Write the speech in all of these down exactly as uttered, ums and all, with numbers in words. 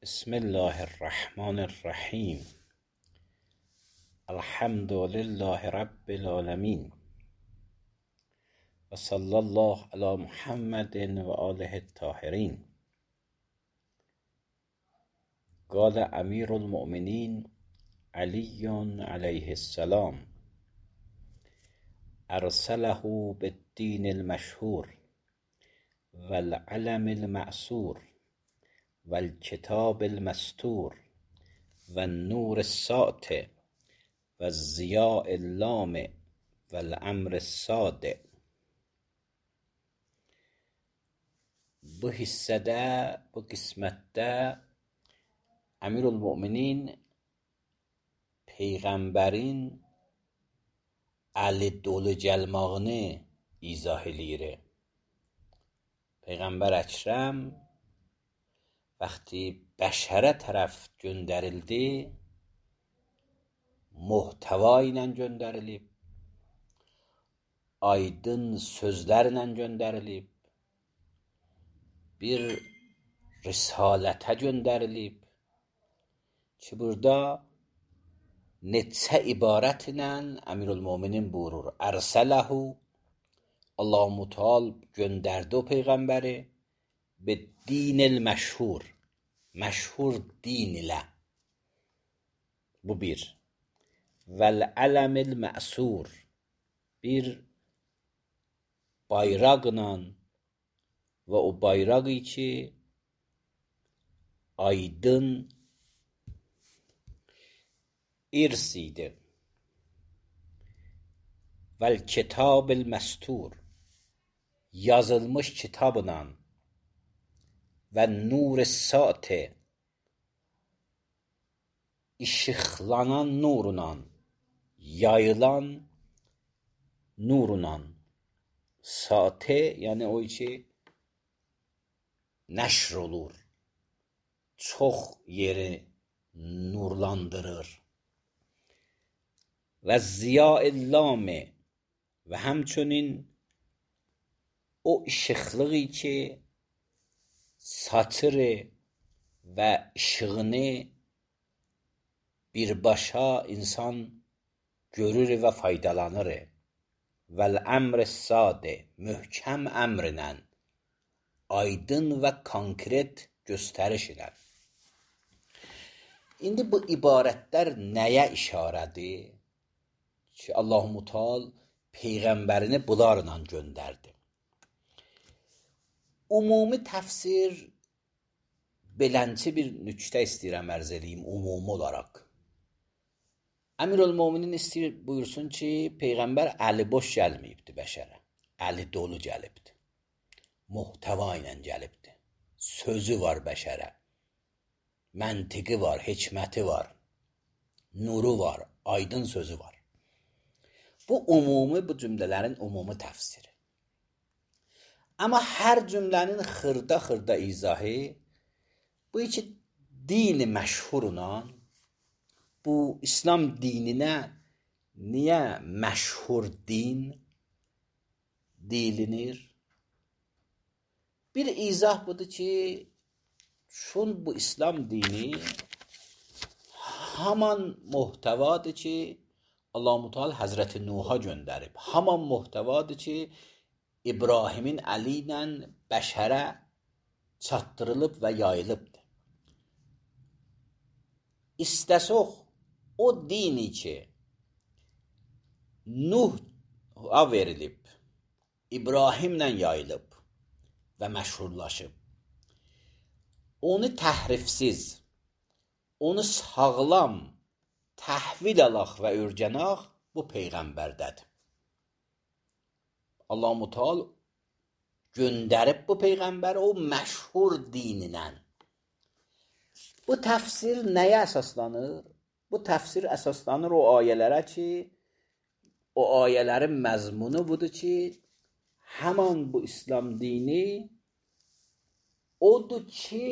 بسم الله الرحمن الرحیم. الحمد لله رب العالمین و صلی الله علی محمد و آله الطاهرین. قال امیر المؤمنین علی علیه السلام: ارسله بالدین المشهور و العلم المأثور و الکتاب المستور و النور الساطع و الضیاء اللامع و الامر الصادع. Bu hissədə, bu qismətdə Əmirülmöminin Peyğəmbərin əli dolu gəlmağını izah eləyir. Peyğəmbər Əkrəm vəqti bəşərə tərəf göndərildi, muhtəva ilə göndərilib, aydın sözlərlə göndərilib, bir risalətə göndərilib ki, burada neçə ibarət ilə Əmirülmöminin buyurur. Ərsələhu, Allah-u Teala göndərdi o Peyğəmbəri به دین المشهور، مشهور din ilə. Bu bir. Vəl-ələm el-məsur, bir bayraqla və o bayraq ki aydın irs idi. Vəl-kitab el-məstur, yazılmış kitabla və nur-i saatə, işıqlanan nurla, yayılan nurla. Saatə, yəni o ki nəşr olur, çox yeri nurlandırır. Və ziya-ı-ləmə, və həmçinin o işıqlığı ki saçır və işığını birbaşa insan görür və faydalanır. Vəl-əmr sadə, möhkəm əmrlə, aydın və konkret göstəriş ilə. İndi bu ibarətlər nəyə işarədir? Ki, Allah-u Teala Peyğəmbərini bunlarla göndərdi. Ümumi təfsir, belənçi bir nüktə istəyirəm ərz edeyim ümumi olaraq. Əmirülmöminin istəyir buyursun ki, Peyğəmbər əli boş gəlməyibdi bəşərə, əli dolu gəlibdi, muhtəva ilə gəlibdi, sözü var bəşərə, məntiqi var, hikməti var, nuru var, aydın sözü var. Bu ümumi, bu cümlələrin ümumi təfsiri. Amma hər cümlənin xırda-xırda izahı, bu iki dini məşhurla, bu İslam dininə niyə məşhur din deyilinir? Bir izah budur ki, çün bu İslam dini haman muhtəvadır ki, Allah-u Teala Həzrəti Nuh'a göndərib. Haman muhtəvadır ki, İbrahimin əli ilə bəşərə çatdırılıb və yayılıbdır. İstəsək, o dini ki, Nuh'a verilib, İbrahimlə yayılıb və məşhurlaşıb, onu təhrifsiz, onu sağlam təhvil alaq və ürgənaq bu Peyğəmbərdədir. Allah-u Teala göndərib bu Peyğəmbəri o məşhur dininlə. Bu təfsir nəyə əsaslanır? Bu təfsir əsaslanır o ayələrə ki, o ayələrin məzmunu budur ki, həman bu İslam dini odur ki,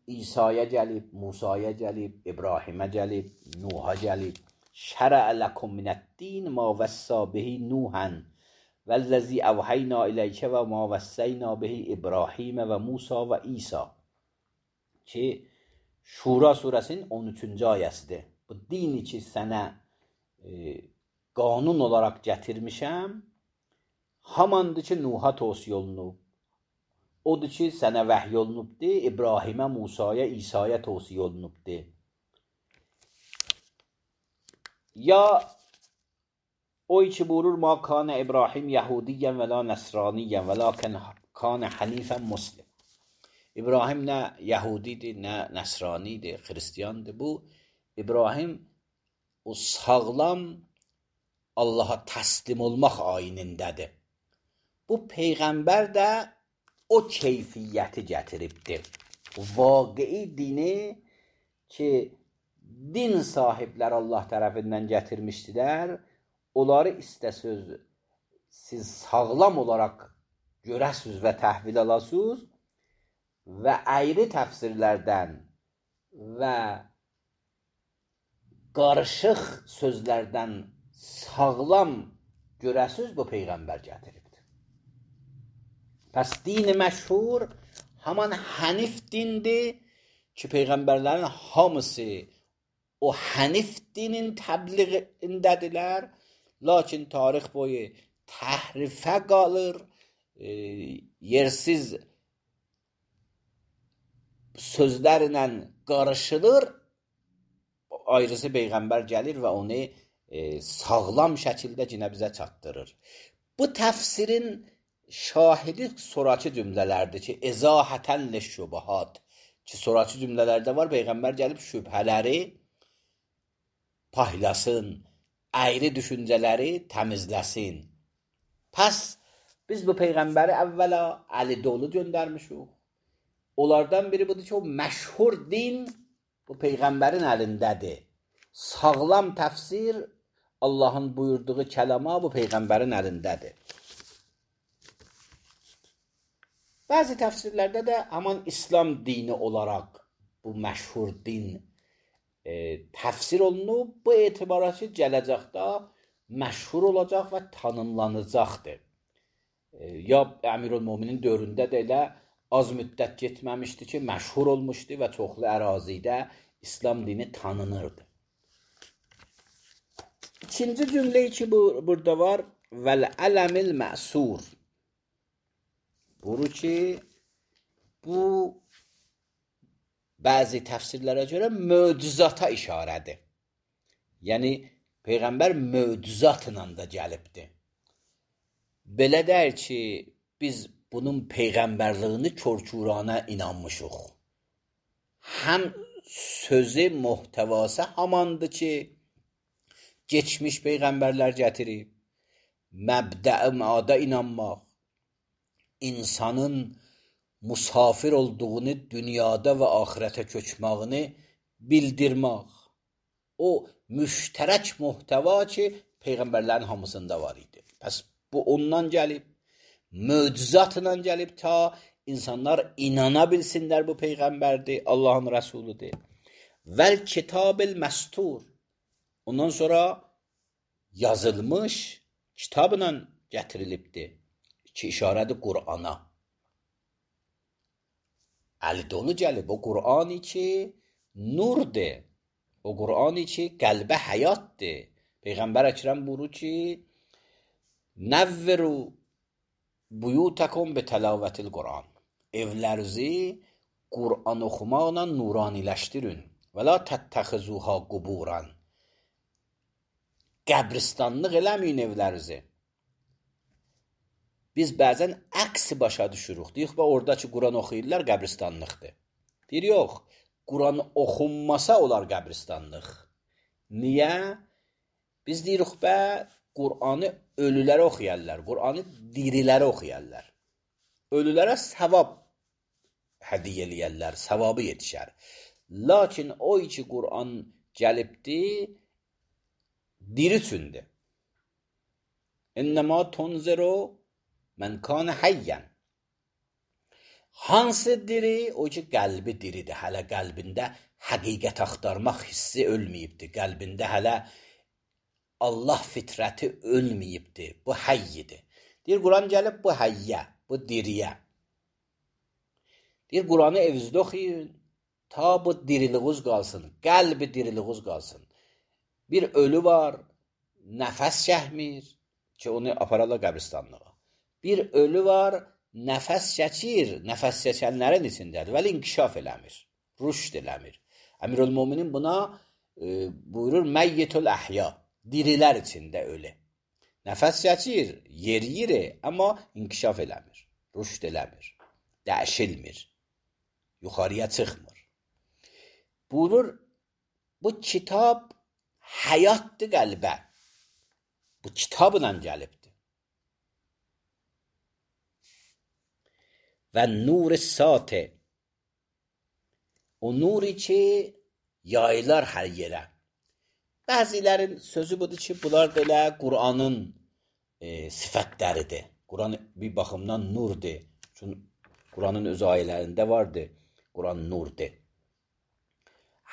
İsa'ya gəlib, Musa'ya gəlib, İbrahimə gəlib, Nuh'a gəlib. Şərə ləkum minəd-din ma vəssa bihi Nuhan vəl-ləzi əvhəynə iləykə və ma vəssəynə bihi İbrahimə və Musa və İsa. Ki, Şura surəsinin on üçüncü ayəsidir. Bu dini ki sənə e, qanun olaraq gətirmişəm, hamandır ki Nuh'a tövsiyə olunub. Odur ki sənə vəhy olunubdi, İbrahimə, Musaya, İsa'ya tövsiyə olunubdi. Ya o ki buyurur ma kana İbrahim Yahudiyyən və la Nəsraniyyən və lakin kana Hanifən Muslim. İbrahim nə Yahudidir, nə Nəsranidir, Xristiyandır. Bu İbrahim o sağlam Allaha təslim olmaq ayinindədir. Bu Peyğəmbər də o keyfiyyəti gətiribdir. Vaqei dini ki din sahibləri Allah tərəfindən gətirmişdilər, onları istəsöz siz sağlam olaraq görəsiz və təhvil alasınız və ayrı təfsirlərdən və qarışıq sözlərdən sağlam görəsiz bu Peyğəmbər gətiribdir. Pəs dini məşhur haman Hənif dindir ki Peyğəmbərlərin hamısı o Hənif dinin təbliğindədirlər, lakin tarix boyu təhrifə qalır, e, yersiz sözlərlə qarışılır, ayrısı Peyğəmbər gəlir və onu e, sağlam şəkildə yenə bizə çatdırır. Bu təfsirin şahidi sonrakı cümlələrdir ki, ezahətən leşşubahat ki, sonrakı cümlələrdə var, Peyğəmbər gəlib şübhələri paylasın, ayrı düşüncələri təmizləsin. Pəs biz bu Peyğəmbəri əvvəla Əli dolu göndərmişik. Onlardan biri budur ki, o məşhur din bu Peyğəmbərin əlindədir. Sağlam təfsir Allahın buyurduğu kəlama bu Peyğəmbərin əlindədir. Bəzi təfsirlərdə də aman İslam dini olaraq bu məşhur din e, təfsir olunub, bu etibara ki gələcəkdə məşhur olacaq və tanınlanacaqdır. E, ya Əmirülmöminin dövründə də elə az müddət getməmişdi ki, məşhur olmuşdu və çoxlu ərazidə İslam dini tanınırdı. İkinci cümlə ki bu, burada var, vəl-ələmil məsur. Buyurur ki, bu bəzi təfsirlərə görə möcüzata işarədir. Yəni, Peyğəmbər möcüzatla da gəlibdir. Belə deyir ki, biz bunun Peyğəmbərliyini körkürana inanmışıq. Həm sözü, muhtəvası hamandır ki, geçmiş Peyğəmbərlər gətirib, məbdə-i məada inanmaq, insanın musafir olduğunu, dünyada və axirətə köçmağını bildirmək. O müştərək muhtəva ki, Peyğəmbərlərin hamısında var idi. Pəs bu ondan gəlib, möcüzatla gəlib ta insanlar inana bilsinlər bu Peyğəmbərdir, Allahın Rəsuludur. Vəl kitabil məstur. Ondan sonra yazılmış kitabla gətirilibdir ki, işarədir Qur'ana. Əli dolu gəlib, o Qur'ani ki, nurdur. O Qur'ani ki, qəlbə həyatdır. Peyğəmbər Əkrəm buyurur ki, nəvviru buyutakum bi təlavətil Qur'an. Evlərinizi Qur'an oxumaqla nuraniləşdirin. Və la təttəxizuha quburan. Qəbristanlıq eləməyin evlərinizi. Biz bəzən əksi başa düşürük. Deyik, oradakı Quran oxuyurlar, qəbristanlıqdır. Deyir, yox, Quran oxunmasa olar qəbristanlıq. Niyə? Biz deyirik, bə, Qur'anı ölülərə oxuyarlar, Qur'anı dirilərə oxuyarlar. Ölülərə savab hədiyyə eləyərlər, savabı yetişər. Lakin o ki Qur'an gəlibdir, diri üçündür. İnnəmə tunziru mən kana həyyən. Hansı diri? O ki qəlbi diridir. Hələ qəlbində həqiqət axtarmaq hissi ölməyibdir. Qəlbində hələ Allah fitrəti ölməyibdir. Bu həyyidir. Deyir, Quran gəlib bu həyyə, bu diriyə. Deyir, Quranı evinizdə oxuyun, ta bu diriliğiniz qalsın, qəlbi diriliğiniz qalsın. Bir ölü var, nəfəs çəkmir ki, onu apararlar qəbristanlığa. Bir ölü var, nəfəs çəkir, nəfəs çəkənlərin içindədir, vəli inkişaf eləmir, rüşd eləmir. Əmirül-Möminin buna e, buyurur, məyyitül əhya, dirilər içində ölü. Nəfəs çəkir, yeriyir, amma inkişaf eləmir, rüşd eləmir, dəyişilmir, yuxarıya çıxmır. Buyurur, bu kitab həyatdır qəlbə. Bu kitabla gəlibdir. Və nur-i satı, o nuri ki, yayılar hər yerə. Bəzilərin sözü budur ki, bunlar belə Qur'anın e, sifətləridir. Qur'an bir baxımdan nurdur. Çünki Qur'anın öz ayələrində vardır. Qur'an nurdur.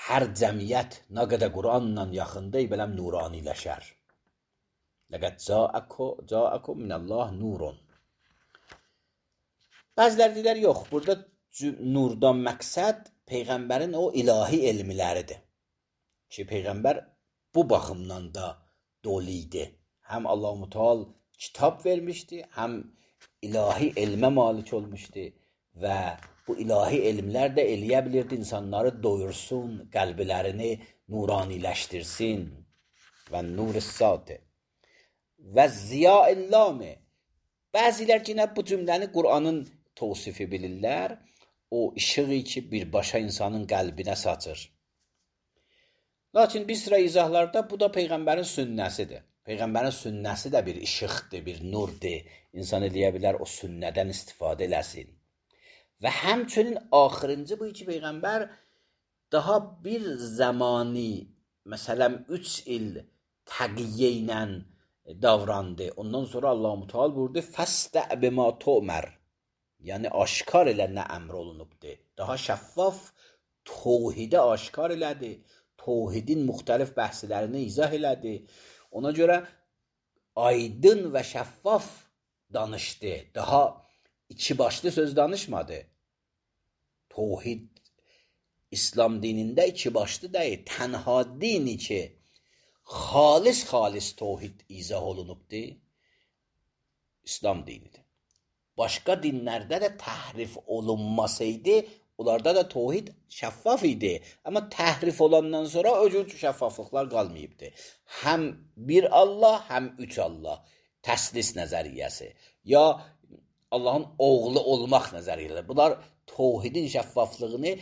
Hər cəmiyyət nə qədər Qur'anla yaxındır, beləm nuraniləşər. Ləqəd cəəəkum minəllah nurun. Bəzilər deyilər, yox, burada nurdan məqsəd Peyğəmbərin o ilahi elmləridir. Ki, Peyğəmbər bu baxımdan da dolu idi. Həm Allah-u Teala kitab vermişdi, həm ilahi elmə malik olmuşdu və bu ilahi elmlər də eləyə bilirdi, insanları doyursun, qəlblərini nuraniləşdirsin. Və nur-i satı və ziya-illami. Bəzilər ki, bu cümləni Qur'anın tavsifi bilirlər, o işığı ki, birbaşa insanın qəlbinə saçır. Lakin bir sıra izahlarda bu da Peyğəmbərin sünnəsidir. Peyğəmbərin sünnəsi də bir işıqdır, bir nurdur. İnsan eləyə bilər, o sünnədən istifadə eləsin. Və həmçinin axırıncı bu ki, Peyğəmbər daha bir zamani, məsələn, üç il təqiyyə ilə davrandı. Ondan sonra Allah-u Teala buyurdu, fəstə bima tu'mər. Yəni, aşkar elə nə əmr olunubdur. Daha şəffaf tövhidə aşkar elədi. Tövhidin müxtəlif bəhslərini izah elədi. Ona görə aydın və şəffaf danışdı. Daha iki başlı söz danışmadı. Tövhid İslam dinində iki başlı deyil. Tənha dini ki, xalis-xalis tövhid izah olunubdur, İslam dinidir. Başqa dinlərdə də təhrif olunmasaydı, onlarda da tövhid şəffaf idi. Amma təhrif olandan sonra o cür şəffaflıqlar qalmayıbdı. Həm bir Allah, həm üç Allah. Təslis nəzəriyyəsi. Ya Allahın oğlu olmaq nəzəriyyəsi. Bunlar tövhidin şəffaflığını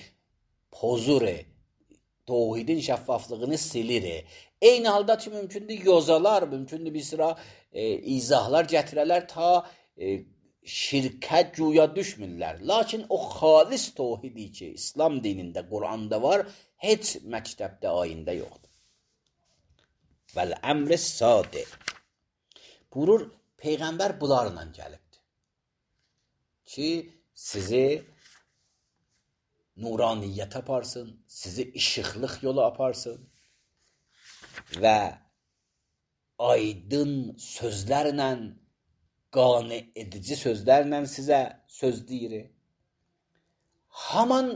pozur, tövhidin şəffaflığını silir. Eyni halda ki, mümkündür yozalar, mümkündür bir sıra e, izahlar gətirələr ta e, şirkə güya düşmürlər. Lakin o xalis tövhidi ki, İslam dinində, Qur'anda var, heç məktəbdə, ayində yoxdur. Vəl-əmr-i sadi. Buyurur, Peyğəmbər bunlarla gəlibdir. Ki, sizi nuraniyyət aparsın, sizi işıqlıq yolu aparsın və aydın sözlərlə, qane edici sözlərlə sizə söz deyir. Haman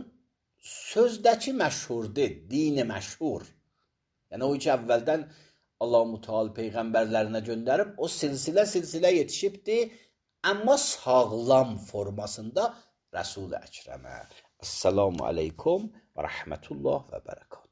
sözdəki məşhurdur, dini məşhur. Yəni o ki, əvvəldən Allah-u Teala Peyğəmbərlərinə göndərib, o silsilə-silsilə yetişibdir, amma sağlam formasında Rəsul-i Əkrəmə. Esselamu aleykum və rəhmətullah və bərəkət.